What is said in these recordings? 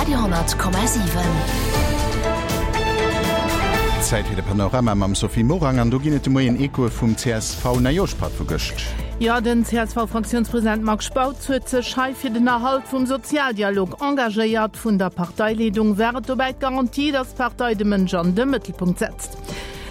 Radio 10,7. Zäit fir de Panorama mam Sophie Morang an do ginn et de Moien Echoe vum CSV-Neijooschpatt vu gëscht. Jo, den CSV-Fraktiounspresident Marc Spautz huet sech hei fir den Erhalt vum Sozialdialog engagéiert. Vun der Parteileedung war et dobäi d'Garantie, datt d'Partei de Mënsch an de Mëttelpunkt setzt.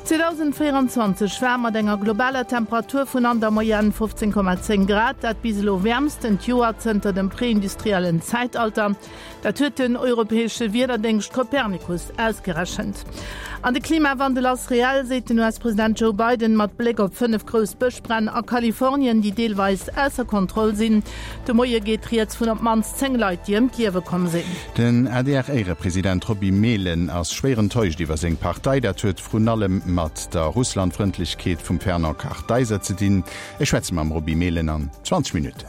2024 war mat enger globaler Temperatur vun an der Moyenne 15,10 Grad dat bis elo wäermstent Joer zënter dem preindustriellen Zäitalter. Dat huet den europäesche Wiederdéngscht Copernicus ausgerechent. An de Klimawandel ass reell, seet den US-President Joe Biden mat Bléck op 5 grouss Bëschbränn a Kalifornien, déi deelweis ausser Kontroll sinn. De Moie geet rieds vun op d'mannst 10 Leit, déi ëm d'Liewe komm sinn. Den ADR-Éierepresident Roby Mehlen ass schwéier enttäuscht iwwer seng Partei. Dat huet vrun allem mat der Russlandfrëndlechkeet vum Fernand Kartheiser ze dinn. Ech schwätze mam Roby Mehlen an 20 Minutten.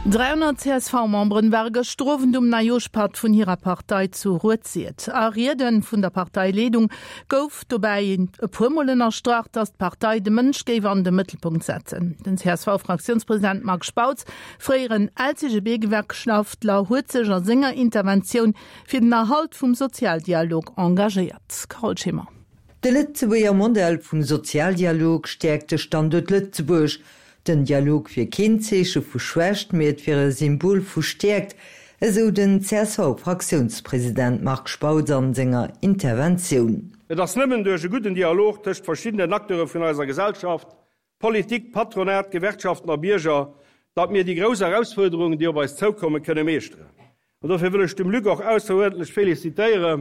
300 CSV-Memberen ware gëschter Owend um Neijooschpatt vun hirer Partei zu Rued-Sir. A Riede vun der Parteileedung gouf dobäi e puer Mol ënnerstrach, datt d'Partei de Mënsch géif an de Mëttelpunkt setzen. Den CSV-Fraktiounspresident Marc Spautz Fréieren LCGB-Gewerkschaftler huet sech a senger Interventioun fir den Erhalt vum Sozialdialog engagéiert. Carole Schimmer. De Lëtzebuerger Modell vum Sozialdialog stäerkt de Standuert Lëtzebuerg. Den Dialog wier keen Zeeche vu Schwächt, mee et wier e Symbol vu Stäerkt, esou den CSV-Fraktiounspresident Marc Spautz an senger Interventioun. Et ass nëmmen duerch e gudden Dialog tëscht verschiddenen Acteure vun eiser Gesellschaft, Politik, Patronat, Gewerkschaften a Bierger, datt mir déi grouss Erausfuerderungen, déi op eis zoukommen, kënne meeschteren. An dofir wëll ech dem Luc och ausseruerdentlech felicitéiere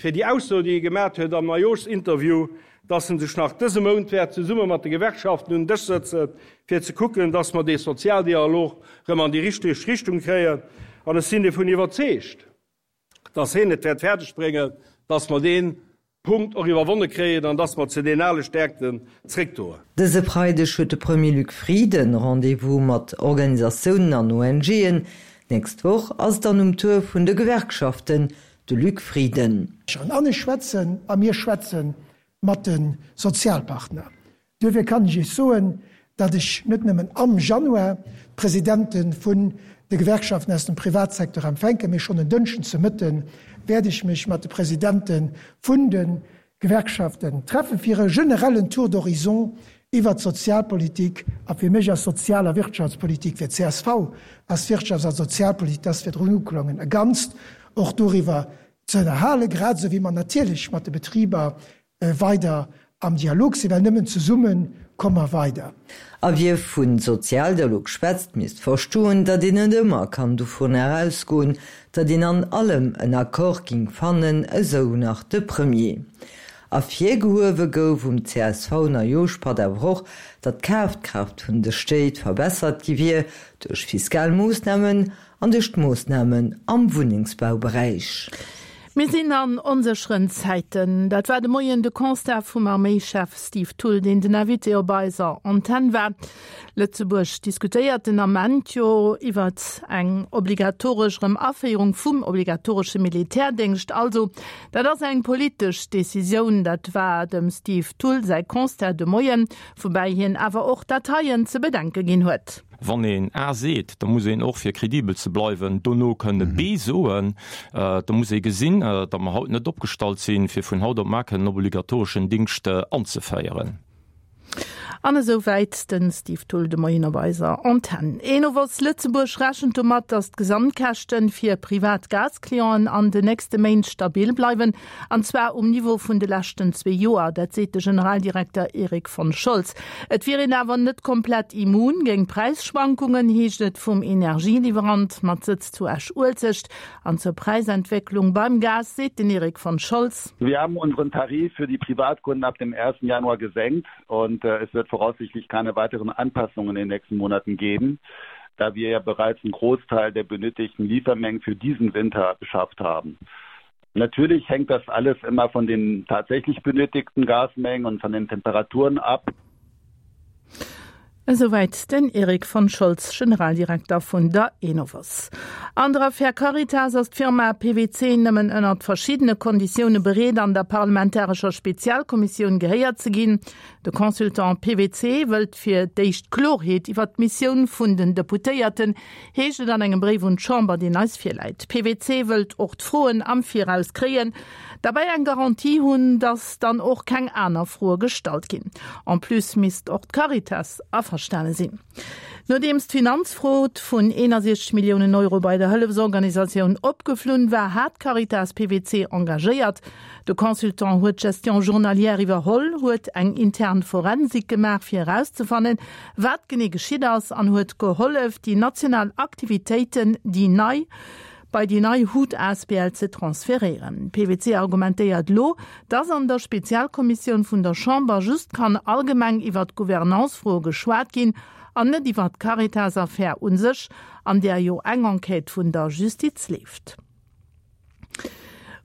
fir déi Ausso, déi e gemat huet am Neijooschinterview, datt en sech nach dëse Mount wäert zesumme mat de Gewerkschaften un den Dësch sëtzen, fir ze kucken, datt mer dee Sozialdialog erëm an déi richteg Richtung kréien. An ech sinn dovun iwwerzeegt, datt hien et wäert fäerdeg bréngen, datt mer dee Punkt och iwwerwonne kréien an datt mer zu deenen ale Stärkten zréckdoen. Dëse Freideg huet de Premier Luc Frieden Rendez-vous mat Organisatiounen an ONGen. D'nächst Woch ass et dann um Tour vun de Gewerkschaften, de Luc Frieden. An ech schwätzen a mir schwätze mat de Sozialpartner. Duerfir kann ech Iech soen, datt ech net nëmmen am Januar d'Presidente vun de Gewerkschaften aus dem Privatsecteur empfänken, mee schonn en Dënschden ze Mëtte wäert ech mech mat de Presidente vun de Gewerkschaften treffen, fir e generellen Tour d'horizon iwwert d'Sozialpolitik, a fir mech ass Sozial a Wirtschaftspolitik, fir d'CSV ass Wirtschafts a Sozialpolitik, dat ass virdrun uklongen, e Ganzt, och doriwwer ze ënnerhalen, grad esou wéi mer natierlech mat de Betriber weider am Dialog sinn, well nëmmen zesumme komme mer weider. A wie vu Sozialdialog schwätzt, misst verstoen, datt een net ëmmer kann dovunner ausgoen, datt een an allem en Accord ging fannen, esou nach de Premier. Ervirgehuewe gouf um CSV-Neijooschpatt awer och, datt d'Kafkraaft vun de Stéit verbessert gi wier duerch fiskal Moossnamen an duerch d'Moossnamen am Wunnengsbauberäich. Mir sinn an onsécheren Zäiten. Dat war de Moien de Constat vum Arméischef Steve Thull, deen den Invité op eiser Antenn war. Lëtzebuerg diskutéiert den Ament jo iwwert eng obligatoresch erëm Aféierung vum obligatoresche Militärdéngscht. Also dat ass eng politesch Decisioun. Dat war dem Steve Thull säi Constat de Moien, woubäi hien awer och dat heien ze bedenke ginn huet. Wann een A seet, da muss een och, fir kredibel ze bleiwen, dono kënne B soen. Da muss ee gesinn, datt mer haut net opgestallt sinn, fir vun haut op mar kënnen en obligatoreschen Dingscht anzeféieren. An esou wäit de Steve Thull de Moien op eiser Antenn. Enovos Lëtzebuerg rechent domat, datt d'Gesamtkäschte fir privat Gasclienten an den nächste Méint stabil bleiwen, an zwar um Niveau vun de leschten zwee Joer. Dat seet de Generaldirekter Erik von Scholz. Et wier een awer net komplett immun géint Präisschwankungen, heescht et vum Energieliwwerant mat Sëtz zu Esch-Uelzecht. An zur Präisentwécklung beim Gas seet den Erik von Scholz. Wir haben unseren Tarif für die Privatkunden ab dem 1. Januar gesenkt und äh, es wird voraussichtlich keine weiteren Anpassungen in den nächsten Monaten geben, da wir ja bereits einen Großteil der benötigten Liefermengen für diesen Winter beschafft haben. Natürlich hängt das alles immer von den tatsächlich benötigten Gasmengen und von den Temperaturen ab. Esouwäit den Eric von Scholz, Generaldirekter vun der Enovos. An der Affär Caritas ass d'Firma PwC nëmmen ënnert verschiddene Konditioune bereet, an der parlamentarescher Spezialkommissioun gehéiert ze ginn. De Consultant PwC wëllt fir d'éischt Klorheet iwwer d'Missioun vun den Deputéierten, heescht et an engem Bréif un d'Chamber, deen eis virläit. PwC wëllt och d'Froen am Viraus kréien, derbäi eng Garantie hunn, datt dann och keng aner Froe gestallt ginn. En plus misst och d'Caritas averstane sinn. Nodeems d'Finanzfrod vun 61 Milliounen Euro bei der Hëllefsorganisatioun opgeflunn war, hat d'Caritas PwC engagéiert. De Consultant huet d'Gestion journalière iwwerholl, huet eng intern Forensik gemaach fir erauszefannen, wat genee geschitt ass an huet gehollef, déi national Aktivitéiten, déi nei, bei déi nei hut asbl ze transferéieren. PwC argumentéiert elo, dass an der Spezialkommissioun vun der Chamber just kann allgemeng iwwert Gouvernance-Froe geschwat ginn an net iwwert d'Caritas-Affär u sech, an där jo eng Enquête vun der Justiz leeft.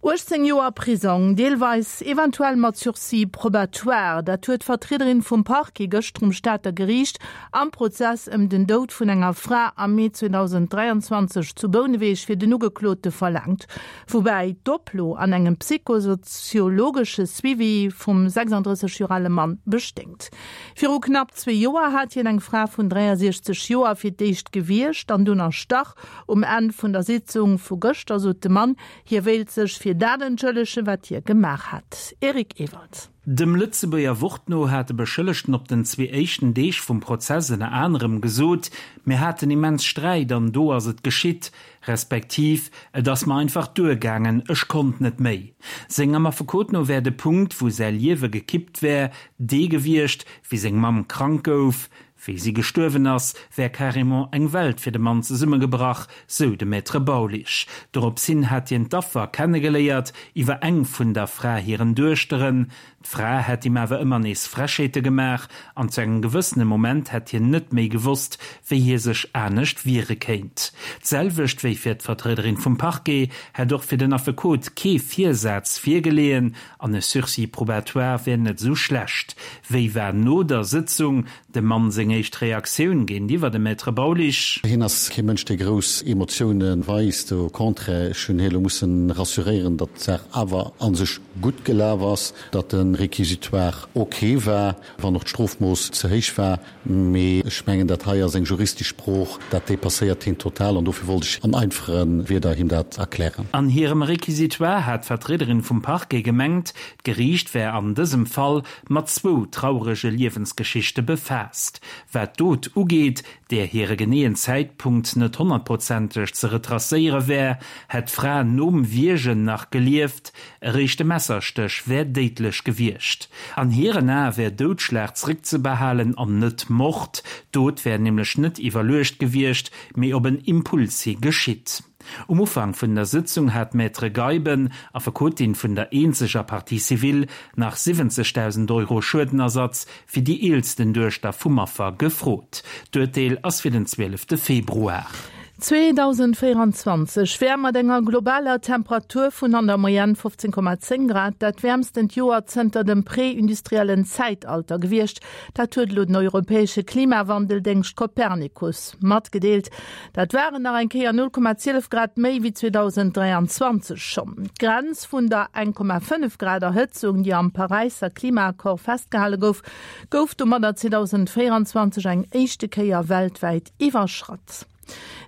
18 Joer Prisong, deelweis eventuell mat Sursis probatoire, dat huet d'Vertriederin vum Parquet gëschter um Stater Geriicht am Prozess ëm den Doud vun enger Fra am Mee 2023 zu Bouneweg fir den Ugeklote verlaangt. Woubäi d'Oplo an engem psychosoziologesche Suivi vum 36 Joer ale Mann besténgt. Viru knapp zwee Joer hat hien eng Fra vun 63 Joer fir d'éischt gewiergt an dunn erstach. Um Enn vun der Sitzung vu gëschter sot de Mann, hie wéilt sech fir dat entschëllegen, wat hie gemaach hätt. Eric Ewald. Dem Lëtzebuerger Wort no hat de Beschëllegten op den zwee éischten Deeg vum Prozess ënner anerem gesot, Mir haten immens Sträit an do ass et geschitt, respektiv et ass mer einfach duergaangen, ech konnt net méi. Sengem Affekot no wär de Punkt, wou säi Liewe gekippt wär, dee gewiescht, wéi seng Mamm krank gouf. Wéi si gestuerwen ass, wär carrément eng Welt fir de Mann zesummegebrach, sou de Maître Baulisch. Dorops hin hat hien d'Affer kennegeléiert, iwwer eng vun der Fra hiren Duechteren. D'Fra hätt him awer ëmmer nees Frechheete gemaach an zu engem gewëssene Moment hätt hien net méi gewosst, wéi hie sech anescht wiere kéint. D'selwecht wéi fir d'Vertriederin vum Parquet hätt och fir den Affekot kee Virsaz virgeleeën an e Sursis probatoire wär net esou schlecht. Wéi war no der Sëtzung dem Mann seng éischt Reaktioun géintiwwer dem Maître Baulisch? Hien ass kee Mënsch, dee grouss Emotioune weist. Au contraire, ech hunn hie lo mussen rassuréieren, datt d'Saach awer a sech gutt gelaf ass, datt de Réquisitoire ok war, wann och d'Strofmooss ze héich war. Mee ech mengen, dat hei ass eng juristesch Sprooch, dat dépasséiert hien total an dofir wollt ech an einfache Wierder him dat erklären. An hirem Réquisitoire hat d'Vertriederin vum Parquet gemengt, d'Geriicht wär an dësem Fall mat zwou traurege Liewensgeschichte befaasst. Wat d'Dot ugeet, där hire geneeën Zäitpunkt net honnertprozenteg ze retracéiere wär, hätt d'Fra nom Wiergen nach gelieft, Eréischt de Messerstéch wär déidlech gewiescht. An hiren Ae wär Doudschlag zréckzebehalen an net Mord. D'Dot wär nämlech net iwwerluecht gewiescht, mee op en Impuls hi geschitt. Um Ufank vun der Sëtzung hat d'Maître Geiben, Affekotin vun der eenzeger Partie civile, nach 70.000 Euro Schuedenersatz fir déi eelsten Duechter vum Affer gefrot. D'Urteel ass fir den 12 Februar. 2024 wär mat enger globaler Temperatur vun an der Moyenne 15,10 Grad dat wäermstent Joer zënter dem prä-industriellen Zäitalter gewiescht. Dat huet elo den europäesche Klimawandeldéngscht Copernicus matgedeelt. Dat waren nach eng Kéier 0,12 Grad méi wéi 2023 schonn. D'Grenz vun der 1,5 Grad Erhëtzung, déi am Paräisser Klimaaccord festgehale gouf, gouf domadder 2024 eng éischte Kéier weltwäit iwwerschratt.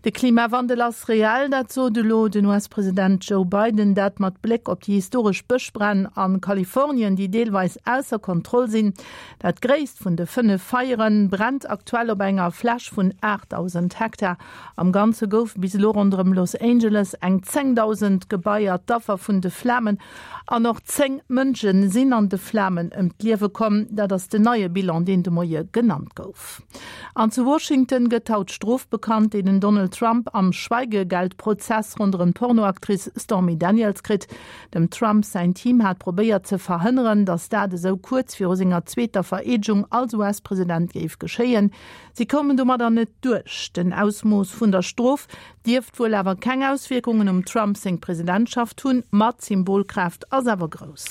De Klimawandel ass reell, dat sot elo den US-President Joe Biden. Dat mat Bléck op déi historesch Bëschbränn a Kalifornien, déi deelweis ausser Kontroll sinn. Dat gréisst vun de 5 Feiere brennt aktuell op enger Fläch vun 8.000 Hektar. Am Ganze goufe bis elo ronderëm Los Angeles eng 10.000 Gebaier d'Affer vun de Flamen an och 10 Mënsche sinn an de Flamen ëm d'Liewe komm. Dat ass den neie Bilan, deen de Moie genannt gouf. An zu Washington gëtt haut d'Strof bekannt, déi den Donald Trump am Schweigegeldprozess ronderëm d'Pornoactrice Stormy Daniels kritt. Dem Trump säin Team hat probéiert ze verhënneren, datt dat esou kuerz viru senger zweeter Vereedegung als US-President géif geschéien. Si koumen domadder net duerch. Den Ausmooss vun der Strof dierft wuel awer keng Auswierkungen um Trump seng Presidentschaft hunn, ma d'Symbolkraaft ass awer grouss.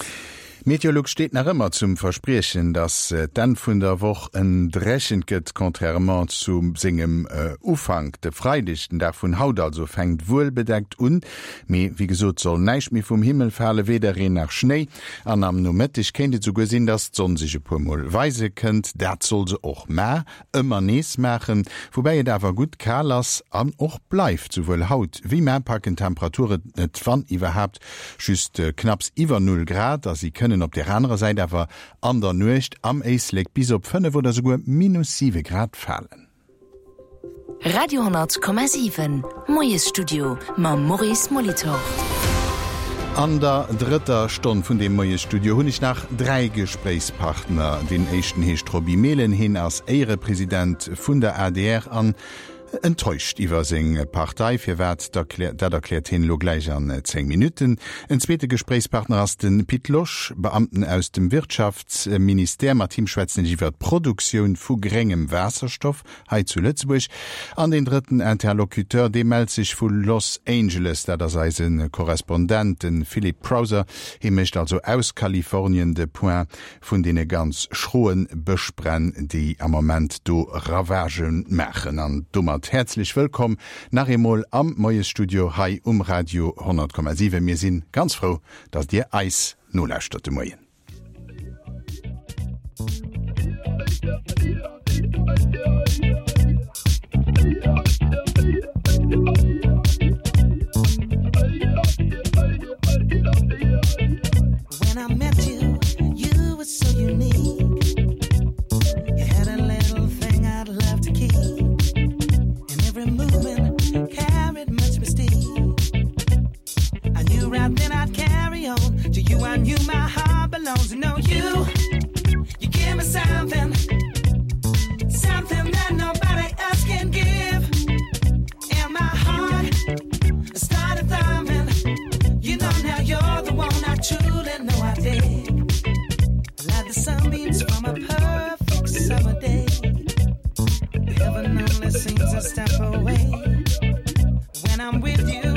Meteolux steet nach ëmmer zum Verspriechen, dass d'Enn vun der Woch en dréchent gëtt, contrairement zu sengem Ufank. De Freideg, den Dag vun haut also, fänkt wuel bedeckt un, mee wéi gesot soll näischt méi vum Himmel fale, weder Reen nach Schnéi. An am Nomëtteg kéint et esouguer sinn, dass d'Sonn sech e puer Mol weise kënnt. Dat soll se och mar ëmmer nees maachen, woubäi et awer gutt kal ass an och bleift. Souwuel haut wéi mar packen d'Temperaturen et, wann iwwerhaapt, just knapps iwwer Null Grad a si kënnen op där anerer Säit awer an der Nuecht am Éislek bis op 5 oder souguer minus 7 Grad falen. Radio 10,7 Moiesstudio mam Maurice Molitor. An der drëtter Stonn vun deem Moiesstudio hunn ech nach 3 Gespréichspartner. Deen éischten heescht Roby Mehlen, heen ass Éierepresident vun der adr an Enttäuscht iwwer seng Partei. Firwat, dat erkläert hien elo gläich an 10 Minutten. En zweete Gespréichspartner ass de Pit Losch, Beamten aus dem Wirtschaftsministère. Mat him schwätzen ech iwwer d'Produktioun vu gréngem Waasserstoff hei zu Lëtzebuerg. An deen drëtten Interlocuteur, dee mellt sech vu Los Angeles. Dat ass eise Korrespondent, de Philippe Crowther. Hie mécht also aus Kalifornien de Point vun deene ganz schroe Bëschbränn, déi am Moment do Ravagë maachen. An domat häerzlech wëllkomm nach eemol am Moiesstudio hei um Radio 100,7. Mir si ganz frou, dass Dir eis nolauschtert de Moien. When I met you, you were so unique. You had a little thing I'd love to keep. And every movement carried much mystique. I knew right then I'd carry on. To you, I knew my heart belongs. You know you, you give me something, something that nobody else can give. And my heart started thumping. You know now you're the one I truly know I dig. Like the sunbeams from a perfect summer day. Heaven only seems a step away. When I'm with you.